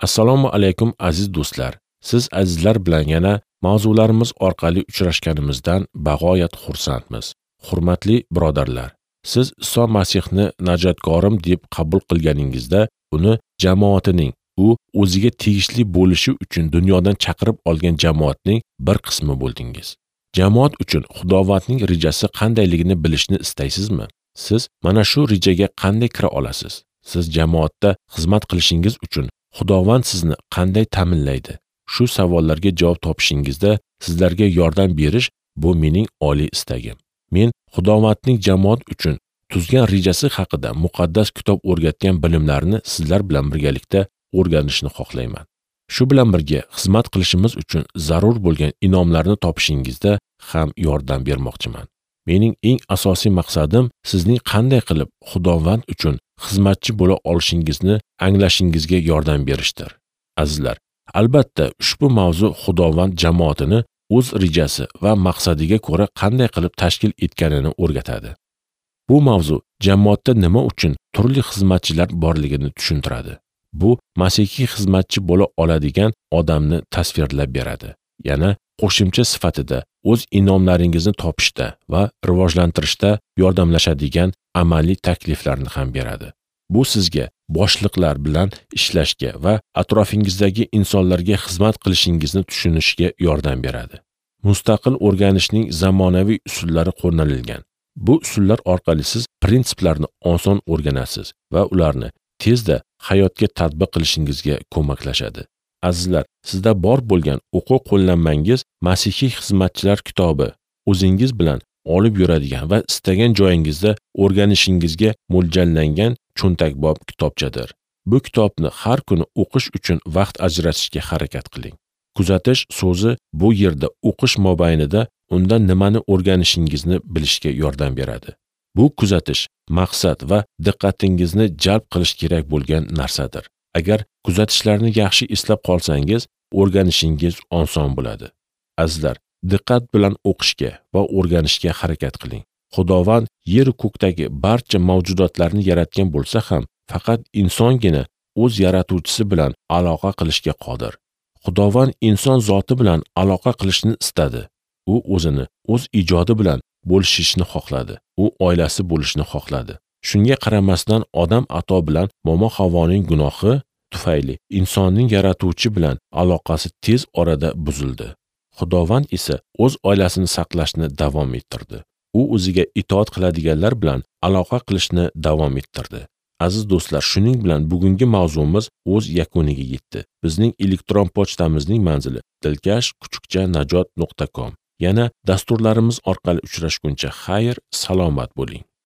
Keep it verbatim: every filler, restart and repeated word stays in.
Assalomu alaykum aziz do'stlar. Siz azizlar bilan yana mavzularimiz orqali uchrashganimizdan bag'oyat xursandmiz. Hurmatli birodarlar, siz Iso Masihni najotkorim deb qabul qilganingizda, uni jamoatining, u o'ziga tegishli bo'lishi uchun dunyodan chaqirib olgan jamoatning bir qismi bo'ldingiz. Jamoat uchun Xudovandning rejasi qandayligini bilishni istaysizmi? Siz mana shu rejaga qanday kira olasiz? Siz jamoatda xizmat qilishingiz uchun Xudovand sizni qanday ta'minlaydi? Shu savollarga javob topishingizda sizlarga yordam berish bu mening oliy istagim. Men Xudovandning jamoat uchun tuzgan rejasi haqida muqaddas kitob o'rgatgan bilimlarni sizlar bilan birgalikda o'rganishni xohlayman. Shu bilan birga xizmat qilishimiz uchun zarur bo'lgan inomlarni topishingizda ham yordam bermoqchiman. Mening eng asosiy maqsadim sizning qanday qilib Xudovand uchun xizmatchi bo'la olishingizni anglashingizga yordam berishdir. Azizlar, albatta ushbu mavzu Xudovand jamoatini o'z rejasi va maqsadiga ko'ra qanday qilib tashkil etganini o'rgatadi. Bu mavzu jamoatda nima uchun turli xizmatchilar borligini tushuntiradi. Bu masihiy xizmatchi bo'la oladigan odamni tasvirlab beradi. Yana qo'shimcha sifatida o'z inomlaringizni topishda va rivojlantirishda yordamlashadigan amaliy takliflarni ham beradi. Bu sizga boshliqlar bilan ishlashga va atrofingizdagi insonlarga xizmat qilishingizni tushunishga yordam beradi. Mustaqil o'rganishning zamonaviy usullari qo'llanilgan. Bu usullar orqali siz prinsiplarni oson o'rganasiz va ularni tezda hayotga tatbiq qilishingizga ko'maklashadi. Azizlar, sizda bor bo'lgan o'quv qo'llanmangiz Masihiy xizmatchilar kitobi o'zingiz bilan olib yuradigan va istagan joyingizda o'rganishingizga mo'ljallangan cho'ntakbop kitobchadir. Bu kitobni har kuni o'qish uchun vaqt ajratishga harakat qiling. Kuzatish so'zi bu yerda o'qish mobaynida undan nimani o'rganishingizni bilishga yordam beradi. Bu kuzatish maqsad va diqqatingizni jalb qilish kerak bo'lgan narsadir. Agar kuzatishlarni yaxshi eslab qolsangiz, o'rganishingiz oson bo'ladi. Azizlar, diqqat bilan o'qishga va o'rganishga harakat qiling. Xudovand yer ko'kdagi barcha mavjudotlarni yaratgan bo'lsa ham, faqat insongina o'z yaratuvchisi bilan aloqa qilishga qodir. Xudovand inson zoti bilan aloqa qilishni istadi. U o'zini o'z ijodi bilan bo'lishishni xohladi. U oilasi bo'lishni xohladi. Shunga qaramasdan odam ato bilan momo Havoning gunohi tufayli insonning yaratuvchi bilan aloqasi tez orada buzildi. Xudovand esa o'z oilasini saqlashni davom ettirdi. U o'ziga itoat qiladiganlar bilan aloqa qilishni davom ettirdi. Aziz do'stlar, shuning bilan bugungi mavzumiz o'z yakuniga yetdi. Bizning elektron pochtamizning manzili dilkash kuchukcha najot nuqta com. Yana dasturlarimiz orqali uchrashguncha xayr, salomat bo'ling.